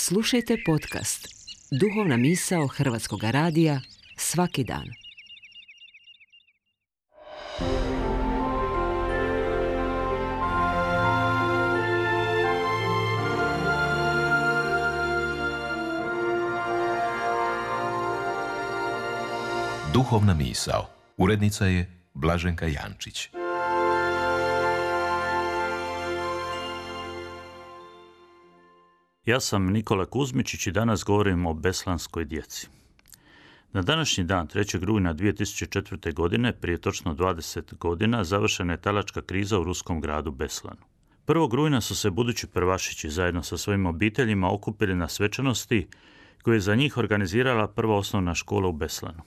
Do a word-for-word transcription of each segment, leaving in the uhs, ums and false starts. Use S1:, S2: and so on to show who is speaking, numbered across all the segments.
S1: Slušajte podcast Duhovna misao Hrvatskog radija svaki dan.
S2: Duhovna misao. Urednica je Blaženka Jančić.
S3: Ja sam Nikola Kuzmičić i danas govorim o beslanskoj djeci. Na današnji dan, trećeg rujna dvije tisuće četvrte. godine, prije točno dvadeset godina, završena je talačka kriza u ruskom gradu Beslanu. prvog rujna su se budući prvašići zajedno sa svojim obiteljima okupili na svečanosti koju je za njih organizirala prva osnovna škola u Beslanu.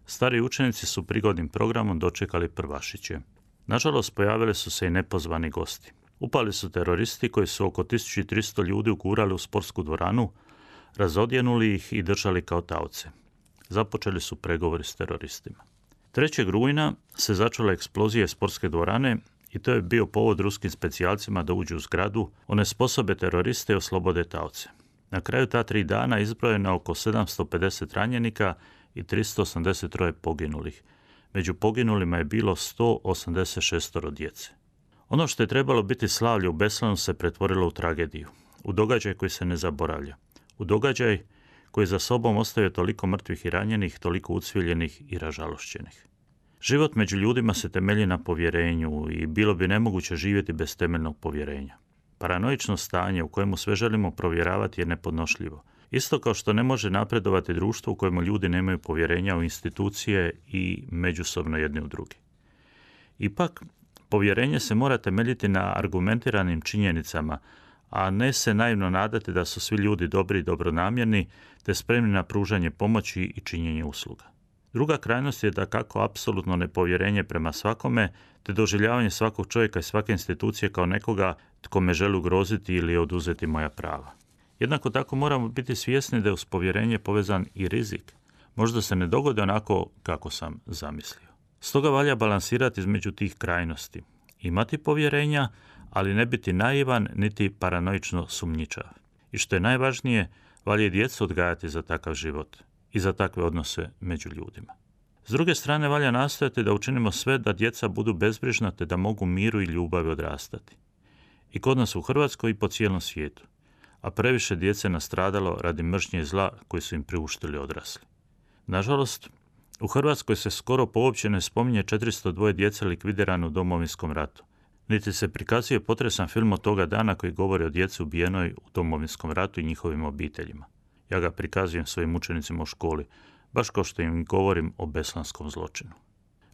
S3: Stari učenici su prigodnim programom dočekali prvašiće. Nažalost, pojavili su se i nepozvani gosti. Upali su teroristi koji su oko tisuću tristo ljudi ugurali u sportsku dvoranu, razodjenuli ih i držali kao taoce. Započeli su pregovori s teroristima. trećeg rujna se začela eksplozija sportske dvorane i to je bio povod ruskim specijalcima da uđu u zgradu, onesposobe teroriste i oslobode taoce. Na kraju ta tri dana izbrojeno oko sedamsto pedeset ranjenika i tristo osamdeset troje poginulih. Među poginulima je bilo sto osamdeset šest djece. Ono što je trebalo biti slavlje u Beslanu se pretvorilo u tragediju, u događaj koji se ne zaboravlja, u događaj koji za sobom ostavio toliko mrtvih i ranjenih, toliko ucviljenih i ražalošćenih. Život među ljudima se temelji na povjerenju i bilo bi nemoguće živjeti bez temeljnog povjerenja. Paranoično stanje u kojemu sve želimo provjeravati je nepodnošljivo. Isto kao što ne može napredovati društvo u kojemu ljudi nemaju povjerenja u institucije i međusobno jedni u drugi. Ipak, povjerenje se mora temeljiti na argumentiranim činjenicama, a ne se naivno nadati da su svi ljudi dobri i dobronamjerni, te spremni na pružanje pomoći i činjenje usluga. Druga krajnost je dakako apsolutno nepovjerenje prema svakome, te doživljavanje svakog čovjeka i svake institucije kao nekoga tko me želi ugroziti ili oduzeti moja prava. Jednako tako moramo biti svjesni da je uz povjerenje povezan i rizik. Možda se ne dogodi onako kako sam zamislio. Stoga valja balansirati između tih krajnosti. Imati povjerenja, ali ne biti naivan niti paranoično sumnjičav. I što je najvažnije, valja i djecu odgajati za takav život i za takve odnose među ljudima. S druge strane, valja nastojati da učinimo sve da djeca budu bezbrižna te da mogu miru i ljubavi odrastati. I kod nas u Hrvatskoj i po cijelom svijetu. A previše djece nastradalo radi mržnje i zla koji su im priuštili odrasli. Nažalost, u Hrvatskoj se skoro uopće ne spominje četiristo dva djece likvidirano u Domovinskom ratu. Niti se prikazuje potresan film od toga dana koji govori o djeci ubijenoj u Domovinskom ratu i njihovim obiteljima. Ja ga prikazujem svojim učenicima u školi, baš kao što im govorim o beslanskom zločinu.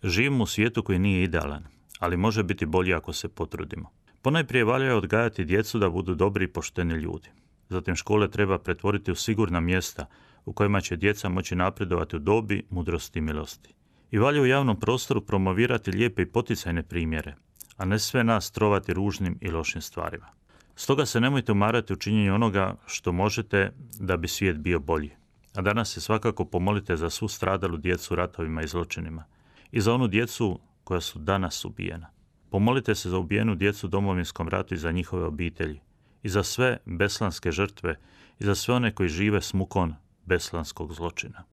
S3: Živimo u svijetu koji nije idealan, ali može biti bolji ako se potrudimo. Ponajprije valja odgajati djecu da budu dobri i pošteni ljudi. Zatim škole treba pretvoriti u sigurna mjesta u kojima će djeca moći napredovati u dobi, mudrosti i milosti. I valja u javnom prostoru promovirati lijepe i poticajne primjere, a ne sve nas trovati ružnim i lošim stvarima. Stoga se nemojte umarati u činjenju onoga što možete da bi svijet bio bolji. A danas se svakako pomolite za svu stradalu djecu u ratovima i zločinima i za onu djecu koja su danas ubijena. Pomolite se za ubijenu djecu u Domovinskom ratu i za njihove obitelji, i za sve beslanske žrtve, i za sve one koji žive s mukom beslanskog zločina.